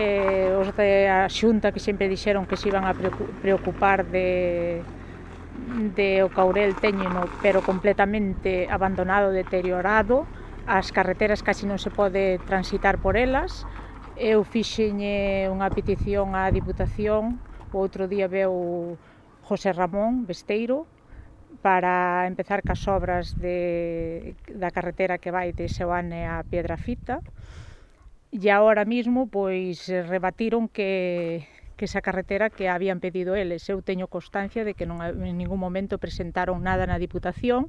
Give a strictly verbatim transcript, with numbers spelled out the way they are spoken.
eh, os da Xunta que sempre dixeron que se iban a preocupar de, de o Courel téñeno, pero completamente abandonado, deteriorado, as carreteras casi non se pode transitar por elas. Eu fixenlle unha petición á Diputación, o outro día veu José Ramón Besteiro, para empezar cas obras de, da carretera que vai de Seoane a Piedrafita, e agora mismo pois rebatiron que, que esa carretera que habían pedido eles. Eu teño constancia de que non, en ningún momento presentaron nada na Diputación,